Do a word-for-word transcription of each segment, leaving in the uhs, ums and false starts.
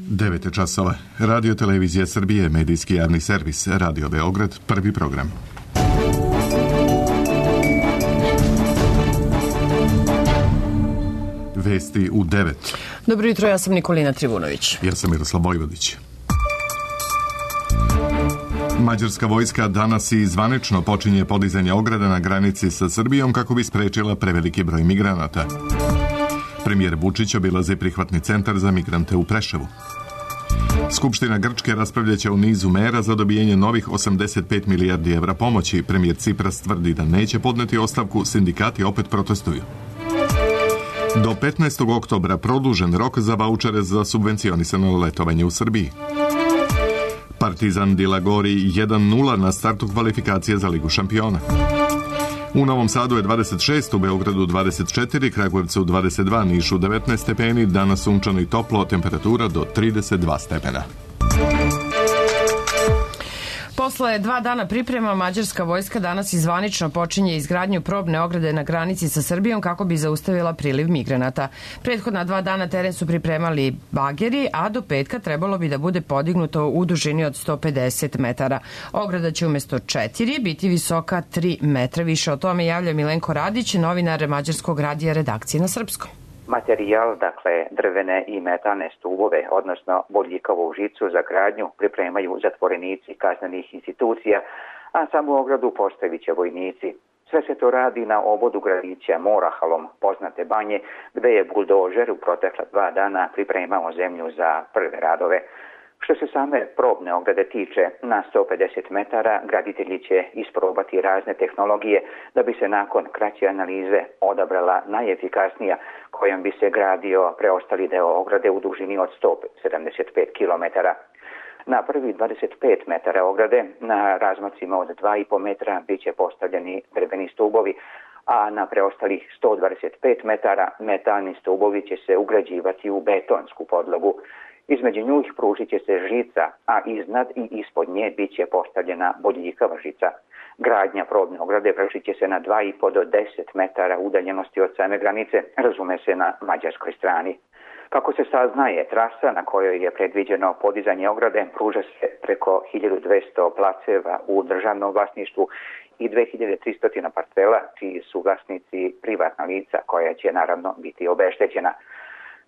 devet časova. Radio Televizija Srbije, medijski javni servis, Radio Beograd, prvi program. Vesti u devet. Dobro jutro, ja sam Nikolina Trivunović. Ja sam Miroslav Vojvodić. Mađarska vojska danas i zvanično počinje podizanje ograda na granici sa Srbijom kako bi sprečila preveliki broj migranata. Premijer Vučić obilazi prihvatni centar za migrante u Preševu. Skupština Grčke raspravljaće o nizu mera za dobijenje novih osamdeset pet milijardi evra pomoći. Premijer Cipras tvrdi da neće podneti ostavku, sindikati opet protestuju. Do petnaestog oktobra produžen rok za vaučere za subvencionisano letovanje u Srbiji. Partizan Dilagori jedan nula na startu kvalifikacije za Ligu šampiona. U Novom Sadu je dvadeset šest, u Beogradu dvadeset četiri, Kragujevcu dvadeset dva, Nišu devetnaest stepeni, danas sunčano i toplo, temperatura do trideset dva stepena. Posle dva dana priprema, mađarska vojska danas izvanično počinje izgradnju probne ograde na granici sa Srbijom kako bi zaustavila priliv migranata. Prethodna dva dana teren su pripremali bageri, a do petka trebalo bi da bude podignuto u dužini od sto pedeset metara. Ograda će umesto četiri biti visoka tri metra. Više o tome javlja Milenko Radić, novinar Mađarskog radija redakcije na srpskom. Materijal, dakle drvene i metalne stubove, odnosno bodljikavu žicu za gradnju pripremaju zatvorenici kaznenih institucija, a samu ogradu postavit će vojnici. Sve se to radi na obodu gradića Morahalom, poznate banje, gde je buldožer u protekla dva dana pripremao zemlju za prve radove. Što se same probne ograde tiče, na sto pedeset metara graditelji će isprobati razne tehnologije da bi se nakon kraće analize odabrala najefikasnija kojom bi se gradio preostali deo ograde u dužini od sto sedamdeset pet kilometara. Na prvi dvadeset pet metara ograde na razmacima od dva i po metra bit će postavljeni drveni stubovi, a na preostalih sto dvadeset pet metara metalni stubovi će se ugrađivati u betonsku podlogu. Između njih pružit će se žica, a iznad i ispod nje bit će postavljena bodljikava žica. Gradnja probne ograde vršit će se na dva i po do deset metara udaljenosti od same granice, razume se na mađarskoj strani. Kako se saznaje, trasa na kojoj je predviđeno podizanje ograde pruža se preko hiljadu dvesta placeva u državnom vlasništvu i dve hiljade tristo parcela, čiji su vlasnici privatna lica koja će naravno biti obeštećena.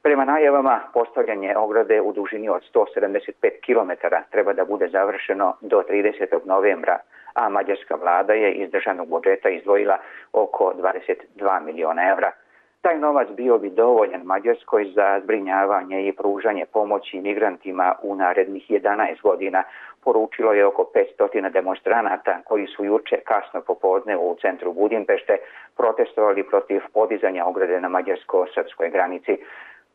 Prema najavama, postavljanje ograde u dužini od sto sedamdeset pet kilometara treba da bude završeno do tridesetog novembra, a mađarska vlada je iz državnog budžeta izdvojila oko dvadeset dva miliona evra. Taj novac bio bi dovoljan Mađarskoj za zbrinjavanje i pružanje pomoći migrantima u narednih jedanaest godina, poručilo je oko petsto demonstranata koji su juče kasno popodne u centru Budimpešte protestovali protiv podizanja ograde na mađarsko-srpskoj granici.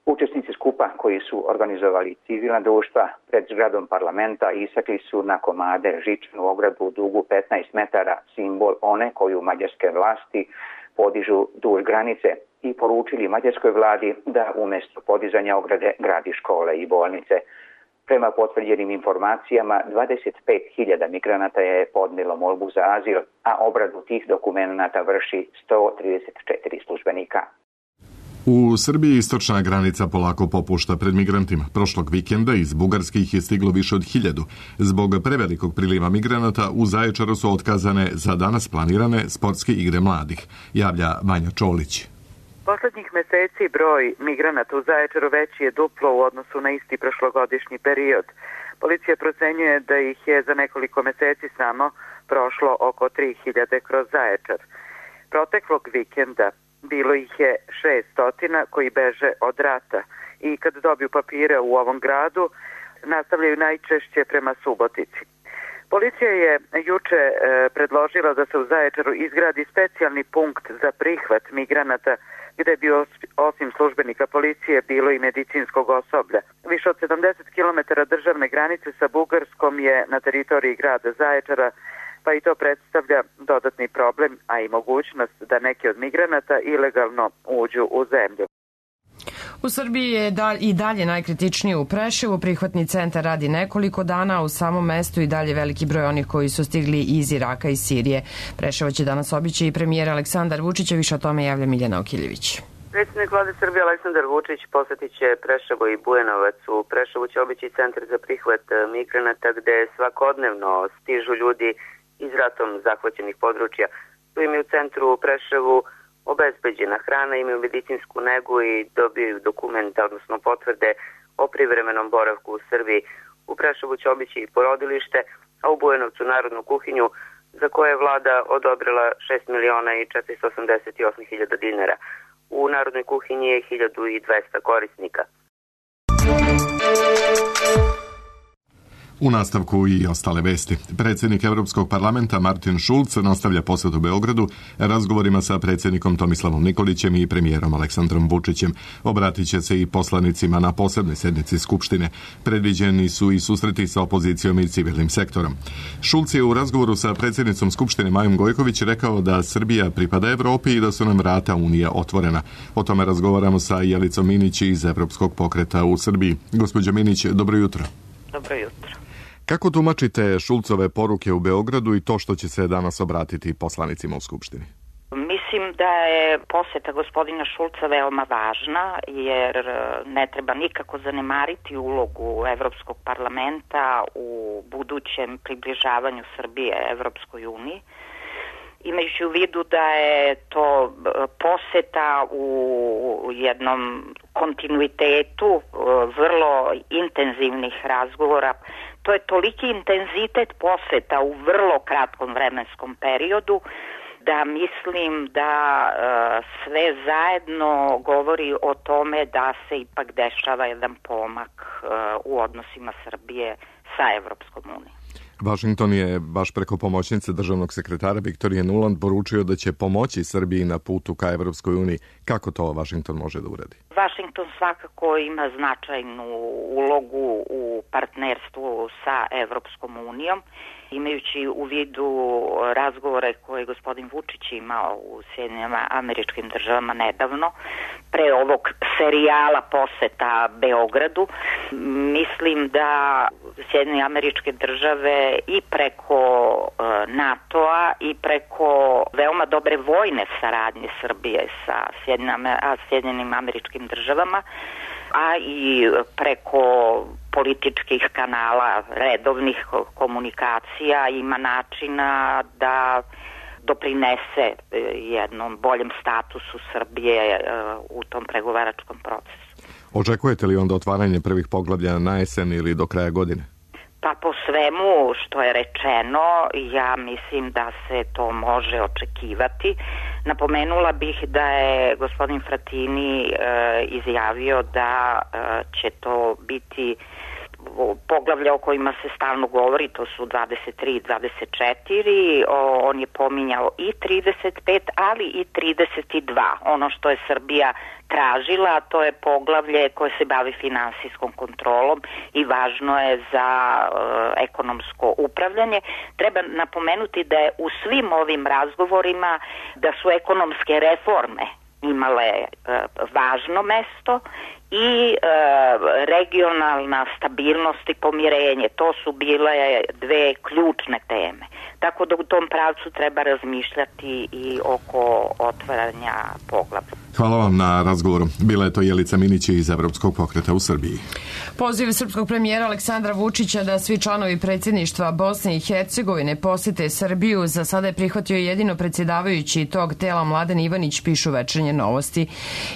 Učesnici skupa koji su organizovali civilna društva pred zgradom parlamenta isakli su na komade žičnu ogradu dugu petnaest metara, simbol one koju mađarske vlasti podižu duž granice, i poručili mađarskoj vladi da umjesto podizanja ograde gradi škole i bolnice. Prema potvrđenim informacijama, dvadeset pet hiljada migranata je podnijelo molbu za azil, a obradu tih dokumenata vrši sto trideset četiri službenika. U Srbiji istočna granica polako popušta pred migrantima. Prošlog vikenda iz Bugarske ih je stiglo više od hiljadu. Zbog prevelikog priliva migranata u Zaječaru su otkazane za danas planirane sportske igre mladih, javlja Vanja Čolić. Poslednjih meseci broj migranata u Zaječaru veći je duplo u odnosu na isti prošlogodišnji period. Policija procenjuje da ih je za nekoliko meseci samo prošlo oko tri hiljade kroz Zaječar. Proteklog vikenda bilo ih je šeststotina koji beže od rata i kad dobiju papire u ovom gradu nastavljaju najčešće prema Subotici. Policija je juče e, predložila da se u Zaječaru izgradi specijalni punkt za prihvat migranata gde bi osim službenika policije bilo i medicinskog osoblja. Više od sedamdeset kilometara državne granice sa Bugarskom je na teritoriji grada Zaječara, pa i to predstavlja dodatni problem, a i mogućnost da neki od migranata ilegalno uđu u zemlju. U Srbiji je i dalje najkritičnije u Preševu. Prihvatni centar radi nekoliko dana, u samom mestu i dalje veliki broj onih koji su stigli iz Iraka i Sirije. Preševo će danas obići i premijer Aleksandar Vučić, više o tome javlja Miljana Okiljević. Predsjednik vlade Srbije Aleksandar Vučić posjetit će Preševo i Bujanovac. U Preševu će obići centar za prihvat migranata gde svakodnevno stižu ljudi iz ratom zahvaćenih područja. Tu im je u centru u Preševu obezbeđena hrana, imaju medicinsku negu i dobiju dokumente, odnosno potvrde o privremenom boravku u Srbiji. U Preševu će obići i porodilište, a u Bujanovcu narodnu kuhinju za koje je vlada odobrila šest miliona i četiristo osamdeset osam hiljada dinara. U narodnoj kuhinji je hiljadu dvesta korisnika. U nastavku i ostale vesti. Predsjednik Evropskog parlamenta Martin Schulz nastavlja posjet u Beogradu razgovorima sa predsjednikom Tomislavom Nikolićem i premijerom Aleksandrom Vučićem. Obratit će se i poslanicima na posebnoj sjednici Skupštine. Predviđeni su i susreti sa opozicijom i civilnim sektorom. Schulz je u razgovoru sa predsjednicom Skupštine Majom Gojković rekao da Srbija pripada Evropi i da su nam vrata Unije otvorena. O tome razgovaramo sa Jelicom Minić iz Evropskog pokreta u Srbiji. Gospođo Minić, dobro jutro. Dobro jutro. Kako tumačite Šulcove poruke u Beogradu i to što će se danas obratiti poslanicima u Skupštini? Mislim da je posjeta gospodina Šulca veoma važna, jer ne treba nikako zanemariti ulogu Evropskog parlamenta u budućem približavanju Srbije Evropskoj uniji. Imajući u vidu da je to posjeta u jednom kontinuitetu vrlo intenzivnih razgovora, to je toliki intenzitet posjeta u vrlo kratkom vremenskom periodu da mislim da sve zajedno govori o tome da se ipak dešava jedan pomak u odnosima Srbije sa Evropskom unijom. Washington je baš preko pomoćnice državnog sekretara Viktorije Nuland poručio da će pomoći Srbiji na putu ka Evropskoj uniji. Kako to Washington može da uradi? Washington svakako ima značajnu ulogu u partnerstvu sa Evropskom unijom, imajući u vidu razgovore koje je gospodin Vučić imao u Sjedinjenim Američkim Državama nedavno, pre ovog serijala poseta Beogradu. Mislim da Sjedinjene Američke Države i preko NATO-a i preko veoma dobre vojne saradnje Srbije sa Sjedinjenim Američkim Državama, a i preko političkih kanala, redovnih komunikacija ima načina da doprinese jednom boljem statusu Srbije u tom pregovaračkom procesu. Očekujete li onda otvaranje prvih poglavlja na jesen ili do kraja godine? Pa po svemu što je rečeno, ja mislim da se to može očekivati. Napomenula bih da je gospodin Fratini e, izjavio da e, će to biti poglavlja o kojima se stalno govori, to su dvadeset tri i dvadeset četiri, o, on je pominjao i trideset pet, ali i trideset dva. Ono što je Srbija tražila, to je poglavlje koje se bavi finansijskom kontrolom i važno je za e, ekonomsko upravljanje. Treba napomenuti da je u svim ovim razgovorima da su ekonomske reforme imale e, važno mesto i e, regionalna stabilnost i pomirenje. To su bile dve ključne teme. Tako da u tom pravcu treba razmišljati i oko otvaranja poglavlja. Hvala vam na razgovoru. Bila je to Jelica Minić iz Evropskog pokreta u Srbiji. Poziv srpskog premijera Aleksandra Vučića da svi članovi predsjedništva Bosne i Hercegovine posjete Srbiju za sada je prihvatio jedino predsjedavajući tog tela Mladen Ivanić, pišu Večernje novosti.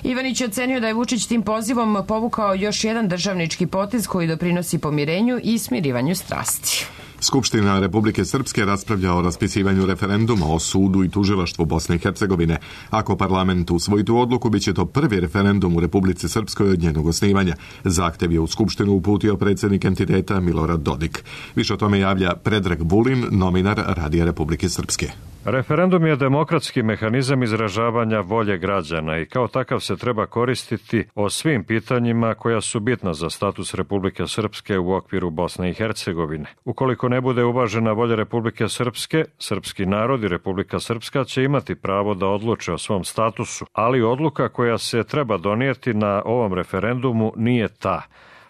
Ivanić je ocenio da je Vučić tim pozivom povukao još jedan državnički potez koji doprinosi pomirenju i smirivanju strasti. Skupština Republike Srpske raspravlja o raspisivanju referenduma o sudu i tužilaštvu Bosne i Hercegovine. Ako parlament usvoji tu odluku, bit će to prvi referendum u Republici Srpskoj od njenog osnivanja. Zahtev je u Skupštinu uputio predsjednik entiteta Milorad Dodik. Više o tome javlja Predrag Vulin, novinar Radija Republike Srpske. Referendum je demokratski mehanizam izražavanja volje građana i kao takav se treba koristiti o svim pitanjima koja su bitna za status Republike Srpske u okviru Bosne i Hercegovine. Ukoliko ne bude uvažena volja Republike Srpske, srpski narod i Republika Srpska će imati pravo da odluče o svom statusu, ali odluka koja se treba donijeti na ovom referendumu nije ta,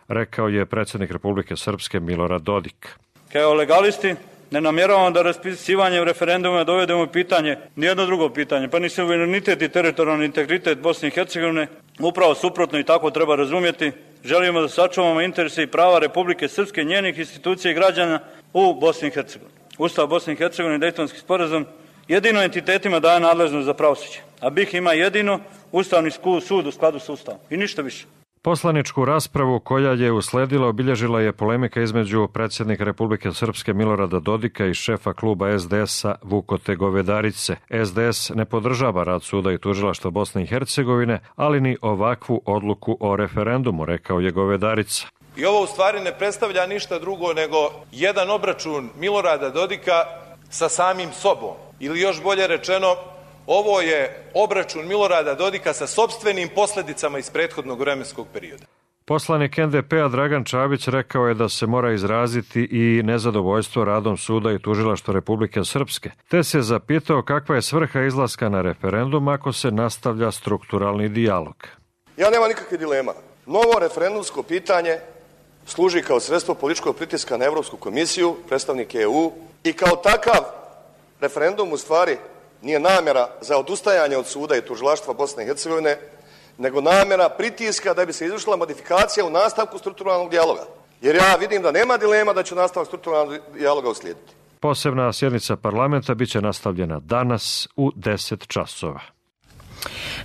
rekao je predsjednik Republike Srpske Milorad Dodik. Kao legalisti Ne namjeravamo da raspisivanjem referenduma dovedemo u pitanje nijedno drugo pitanje, pa ni suverenitet i teritorijalni integritet Bosne i Hercegovine. Upravo suprotno i tako treba razumjeti. Želimo da sačuvamo interese i prava Republike Srpske, njenih institucija i građana u Bosni i Hercegovini. Ustav Bosne i Hercegovine i Dejtonski sporazum jedino entitetima daje nadležnost za pravosuđe, a B i H ima jedino Ustavni sud u skladu s Ustavom i ništa više. Poslaničku raspravu koja je usledila obilježila je polemika između predsjednika Republike Srpske Milorada Dodika i šefa kluba S D S-a Vukote Govedarice. S D S ne podržava rad suda i tužilaštva Bosne i Hercegovine, ali ni ovakvu odluku o referendumu, rekao je Govedarica. I ovo u stvari ne predstavlja ništa drugo nego jedan obračun Milorada Dodika sa samim sobom. Ili još bolje rečeno, ovo je obračun Milorada Dodika sa sopstvenim posljedicama iz prethodnog vremenskog perioda. Poslanik N D P-a Dragan Čabić rekao je da se mora izraziti i nezadovoljstvo radom suda i tužilaštva Republike Srpske, te se zapitao kakva je svrha izlaska na referendum ako se nastavlja strukturalni dijalog. Ja nemam nikakve dilema. Novo referendumsko pitanje služi kao sredstvo političkog pritiska na Evropsku komisiju, predstavnike E U, i kao takav referendum u stvari nije namjera za odustajanje od suda i tužilaštva Bosne i Hercegovine, nego namjera pritiska da bi se izvršila modifikacija u nastavku strukturalnog dijaloga. Jer ja vidim da nema dilema da će nastavak strukturalnog dijaloga uslijediti. Posebna sjednica parlamenta biće nastavljena danas u deset časova.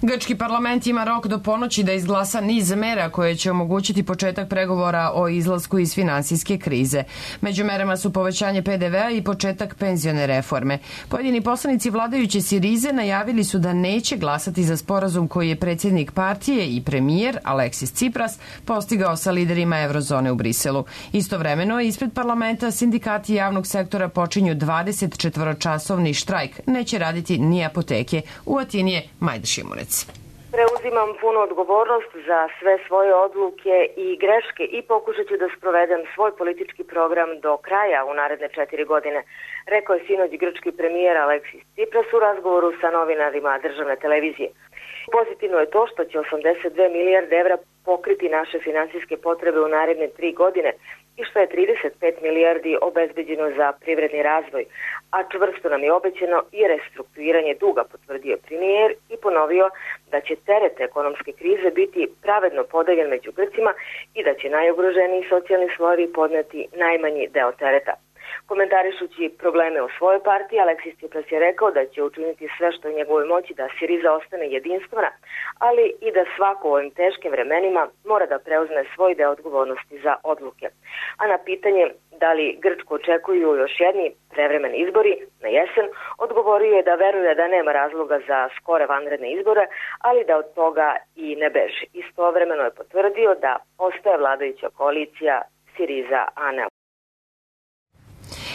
Grčki parlament ima rok do ponoći da izglasa niz mera koje će omogućiti početak pregovora o izlasku iz finansijske krize. Među merama su povećanje P D V-a i početak penzione reforme. Pojedini poslanici vladajuće Sirize najavili su da neće glasati za sporazum koji je predsjednik partije i premijer Aleksis Tsipras postigao sa liderima Eurozone u Briselu. Istovremeno, ispred parlamenta sindikati javnog sektora počinju dvadesetčetvoročasovni štrajk. Neće raditi ni apoteke. U Atini je Majda Šimunec. Preuzimam punu odgovornost za sve svoje odluke i greške i pokušat ću da sprovedem svoj politički program do kraja u naredne četiri godine, rekao je sinoć grčki premijer Aleksis Tsipras u razgovoru sa novinarima državne televizije. Pozitivno je to što će osamdeset dve milijarde evra pokriti naše finansijske potrebe u naredne tri godine i što je trideset pet milijardi obezbeđeno za privredni razvoj, a čvrsto nam je obećano i restrukturiranje duga, potvrdio premijer i ponovio da će teret ekonomske krize biti pravedno podeljen među Grcima i da će najugroženiji socijalni slojevi podneti najmanji deo tereta. Komentarišući probleme u svojoj partiji, Aleksis Tsipras je rekao da će učiniti sve što je u njegovoj moći da Siriza ostane jedinstvena, ali i da svako u ovim teškim vremenima mora da preuzme svoj deo odgovornosti za odluke. A na pitanje da li Grčku očekuju još jedni prevremeni izbori na jesen, odgovorio je da veruje da nema razloga za skore vanredne izbore, ali da od toga i ne beži. Istovremeno je potvrdio da ostaje vladajuća koalicija Siriza-Ana.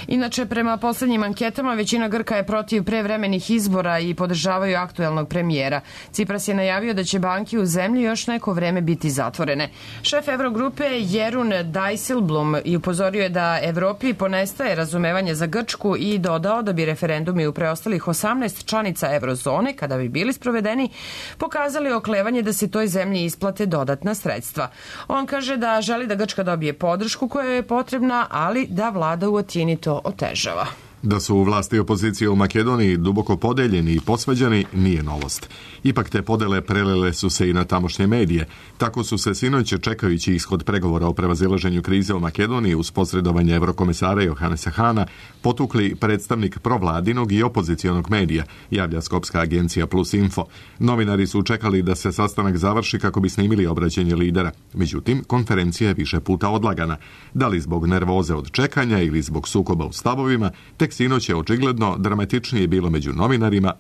Inače, prema poslednjim anketama, većina Grka je protiv prevremenih izbora i podržavaju aktuelnog premijera. Tsipras je najavio da će banke u zemlji još neko vreme biti zatvorene. Šef Eurogrupe Jerun Dijsselbloem i upozorio je da Evropi ponestaje razumevanje za Grčku i dodao da bi referendumi u preostalih osamnaest članica Eurozone, kada bi bili sprovedeni, pokazali oklevanje da se toj zemlji isplate dodatna sredstva. On kaže da želi da Grčka dobije podršku koja je potrebna, ali da vlada u Atini to otežava. Da su vlasti i opozicije u Makedoniji duboko podeljeni i posvađani nije novost. Ipak te podele prelile su se i na tamošnje medije. Tako su se sinoć, čekajući ishod pregovora o prevazilaženju krize u Makedoniji uz posredovanje evrokomesara Johannesa Hana, potukli predstavnik provladinog i opozicionog medija, javlja skopska agencija Plus Info. Novinari su čekali da se sastanak završi kako bi snimili obraćanje lidera. Međutim, konferencija je više puta odlagana. Da li zbog nervoze od čekanja ili zbog sukoba u stavovima, tek sinoć je očigledno dramatičnije bilo među novinarima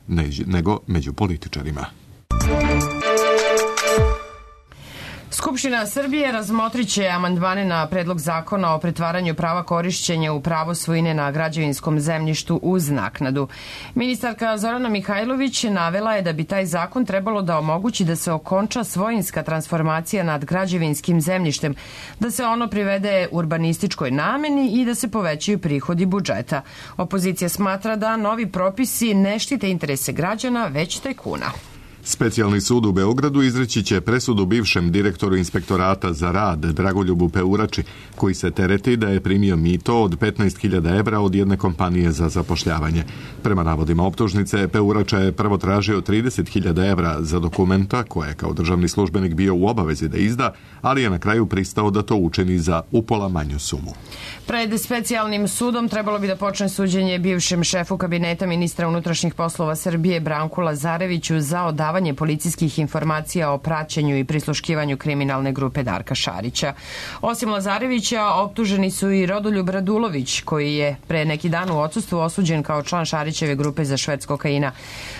nego među političarima. Skupština Srbije razmotrit će amandmane na predlog zakona o pretvaranju prava korišćenja u pravo svojine na građevinskom zemljištu uz naknadu. Ministarka Zorana Mihajlović navela je da bi taj zakon trebalo da omogući da se okonča svojinska transformacija nad građevinskim zemljištem, da se ono privede urbanističkoj nameni i da se povećaju prihodi budžeta. Opozicija smatra da novi propisi ne štite interese građana, već tajkuna. Specijalni sud u Beogradu izreći će presudu bivšem direktoru inspektorata za rad Dragoljubu Peurači, koji se tereti da je primio mito od petnaest hiljada evra od jedne kompanije za zapošljavanje. Prema navodima optužnice, Peurača je prvo tražio trideset hiljada evra za dokumenta koje je kao državni službenik bio u obavezi da izda, ali je na kraju pristao da to učini za upola manju sumu. Pred specijalnim sudom trebalo bi da počne suđenje bivšem šefu kabineta ministra unutrašnjih poslova Srbije Branku Lazareviću za odavanje policijskih informacija o praćenju i prisluškivanju kriminalne grupe Darka Šarića. Osim Lazarevića, optuženi su i Rodoljub Radulović, koji je pre neki dan u odsustvu osuđen kao član Šarićeve grupe za šverc kokaina.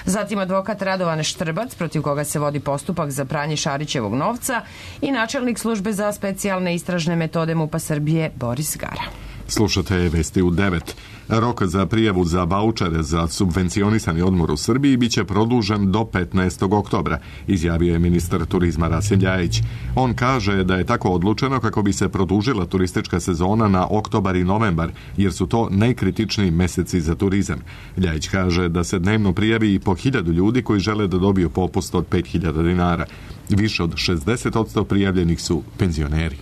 Zatim advokat Radovan Štrbac, protiv koga se vodi postupak za pranje Šarićevog novca, i načelnik službe za specijalne istražne metode MUP-a Srbije Boris Gara. Slušate Vesti u devet. Rok za prijavu za vaučere za subvencionisani odmor u Srbiji biće produžen do petnaestog oktobra, izjavio je ministar turizma Rasim Ljajić. On kaže da je tako odlučeno kako bi se produžila turistička sezona na oktobar i novembar, jer su to najkritičniji meseci za turizam. Ljajić kaže da se dnevno prijavi i po hiljadu ljudi koji žele da dobiju popust od pet hiljada dinara. Više od šezdeset posto prijavljenih su penzioneri.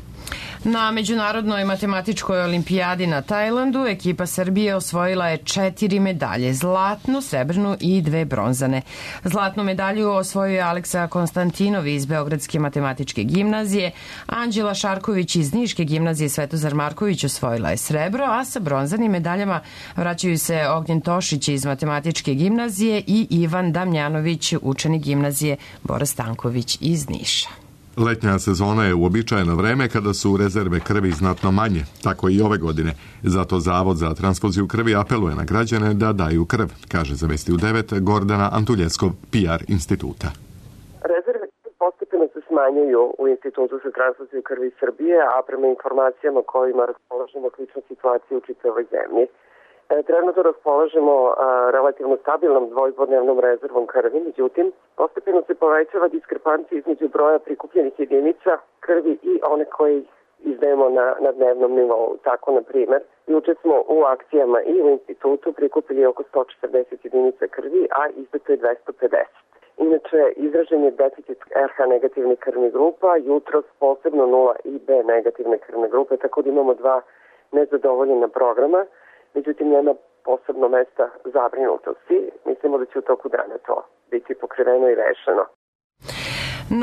Na Međunarodnoj matematičkoj olimpijadi na Tajlandu ekipa Srbije osvojila je četiri medalje, zlatnu, srebrnu i dve bronzane. Zlatnu medalju osvojio je Aleksa Konstantinov iz Beogradske matematičke gimnazije, Anđela Šarković iz Niške gimnazije Svetozar Marković osvojila je srebro, a sa bronzanim medaljama vraćaju se Ognjen Tošić iz matematičke gimnazije i Ivan Damjanović, učenik gimnazije Bora Stanković iz Niša. Letnja sezona je uobičajeno vreme kada su rezerve krvi znatno manje, tako i ove godine. Zato Zavod za transfuziju krvi apeluje na građane da daju krv, kaže za Vesti u devet Gordana Antuljeskov, P R instituta. Rezerve postepeno se smanjuju u Institutu za transfuziju krvi Srbije, a prema informacijama kojima raspolažemo slična situacija u čitavoj zemlji. Trenutno raspolažemo a, relativno stabilnom dvojpodnevnom rezervom krvi, međutim, postepeno se povećava diskrepancija između broja prikupljenih jedinica krvi i one koje izdajemo na, na dnevnom nivou. Tako, na primer, juče smo u akcijama i u institutu prikupili oko sto četrdeset jedinica krvi, a izdato je dvesta pedeset. Inače, izražen je deficit R H negativnih krvnih grupa, jutros posebno nula i B negativne krvne grupe, tako da imamo dva nezadovoljena programa. Međutim, nema posebno mesta zabrinutosti. Mislimo da će u toku dana to biti pokriveno i rešeno.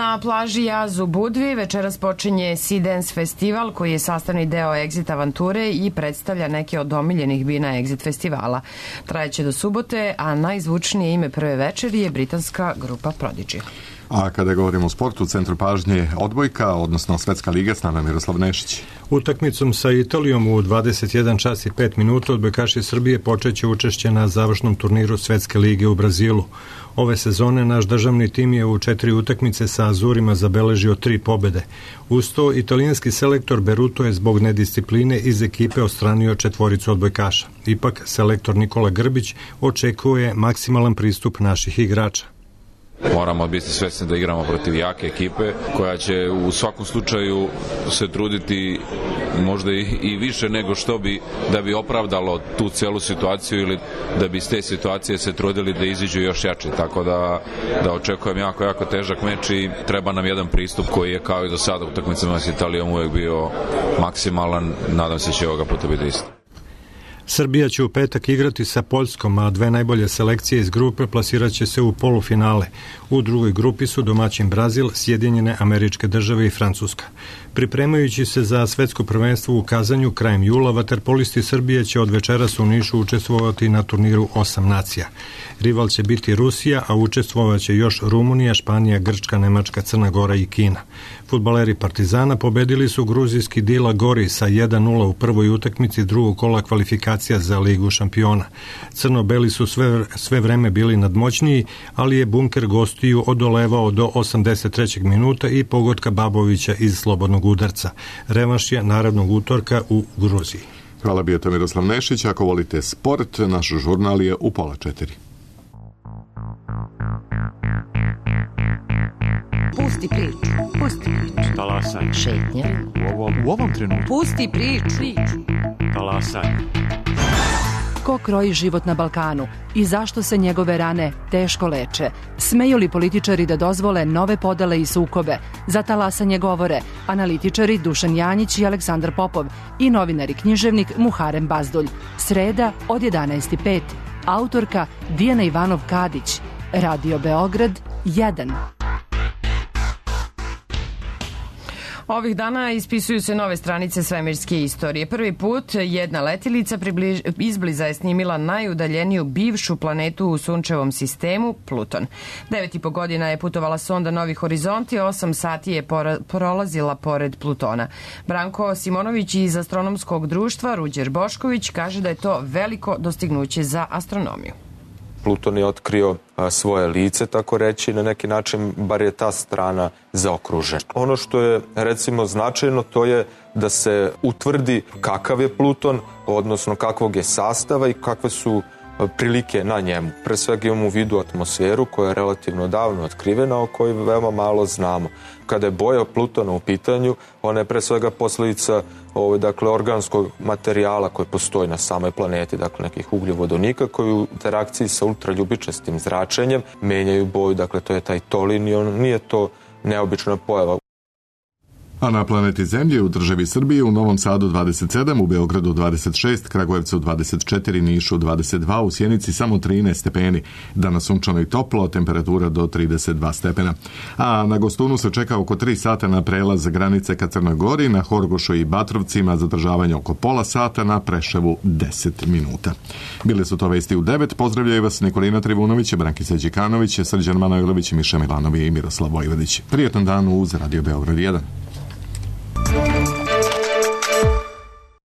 Na plaži Jaz u Budvi večeras počinje Sea Dance festival, koji je sastavni deo Exit avanture i predstavlja neke od omiljenih bina Exit festivala. Trajeće do subote, a najzvučnije ime prve večeri je britanska grupa Prodigy. A kada govorimo o sportu, u centru pažnje odbojka, odnosno Svetska liga, s nama Miroslav Nešić. Utakmicom sa Italijom u dvadeset jedan čas i pet minuta odbojkaši Srbije počeće učešće na završnom turniru Svetske lige u Brazilu. Ove sezone naš državni tim je u četiri utakmice sa Azurima zabeležio tri pobede. Uz to, italijanski selektor Beruto je zbog nediscipline iz ekipe odstranio četvoricu odbojkaša. Ipak, selektor Nikola Grbić očekuje maksimalan pristup naših igrača. Moramo biti svesni da igramo protiv jake ekipe koja će u svakom slučaju se truditi možda i, i više nego što bi da bi opravdalo tu celu situaciju ili da bi iz te situacije se trudili da iziđu još jače. Tako da, da očekujem jako, jako težak meč i treba nam jedan pristup koji je kao i do sada u utakmicama s Italijom uvek bio maksimalan. Nadam se će ovoga puta biti isto. Srbija će u petak igrati sa Poljskom, a dve najbolje selekcije iz grupe plasirat će se u polufinale. U drugoj grupi su domaćin Brazil, Sjedinjene Američke Države i Francuska. Pripremajući se za svetsko prvenstvo u Kazanju krajem jula, vaterpolisti Srbije će od večeras u Nišu učestvovati na turniru osam nacija. Rival će biti Rusija, a učestvovaće još Rumunija, Španija, Grčka, Nemačka, Crna Gora i Kina. Fudbaleri Partizana pobedili su gruzijski Dila Gori sa jedan nula u prvoj utakmici drugog kola kvalifikacija za Ligu šampiona. Crno-beli su sve, sve vreme bili nadmoćniji, ali je bunker gostiju odolevao do osamdeset trećeg minuta i pogotka Babovića iz slobodnog udarca. Revanš je narednog utorka u Gruziji. Hvala, bio to Miroslav Nešić. Ako volite sport, naš žurnal je u pola četiri. Pusti priču, pusti priču. Talasaj. Šetnja. U ovom, u ovom trenutku. Pusti priču. Talasaj. ko kroji život na Balkanu i zašto se njegove rane teško leče. Smeju li političari da dozvole nove podele i sukobe? Za talasanje govore analitičari Dušan Janjić i Aleksandar Popov i novinar i književnik Muharem Bazdulj. Sreda od jedanaest i pet. Autorka Dijana Ivanov-Kadić. Radio Beograd jedan. Ovih dana ispisuju se nove stranice svemirske istorije. Prvi put jedna letilica približ, izbliza je snimila najudaljeniju bivšu planetu u sunčevom sistemu, Pluton. Devet i po godina je putovala sonda Novi horizonti, osam sati je pora, prolazila pored Plutona. Branko Simonović iz astronomskog društva Ruđer Bošković kaže da je to veliko dostignuće za astronomiju. Pluton je otkrio a, svoje lice, tako reći, na neki način, bar je ta strana zaokružena. Ono što je, recimo, značajno, to je da se utvrdi kakav je Pluton, odnosno kakvog je sastava i kakve su a, prilike na njemu. Pre svega imamo u vidu atmosferu koja je relativno davno otkrivena, o kojoj veoma malo znamo. Kada je boja Plutona u pitanju, ona je pre svega posledica ovo, dakle, organskog materijala koji postoji na samoj planeti, dakle nekih ugljovodonika koji u interakciji sa ultraljubičastim zračenjem menjaju boju, dakle to je taj tolin i on nije to neobična pojava. A na planeti Zemlji u državi Srbije u Novom Sadu dvadeset sedam, u Beogradu dvadeset šest, Kragujevcu dvadeset četiri, Nišu dvadeset dva, u Sjenici samo trinaest stepeni. Danas sunčano i toplo, temperatura do trideset dva stepena. A na Gostunu se čeka oko tri sata na prelaz granice ka Crnoj Gori, na Horgošu i Batrovcima zadržavanje oko pola sata, na Preševu deset minuta. Bile su to vesti u devet. Pozdravljaju vas Nikolina Trivunović, Brankisa Đikanović, Srđan Manojlović, Miša Milanovi i Miroslav Vojvodić. Prijetan dan uz Radio Beograd jedan.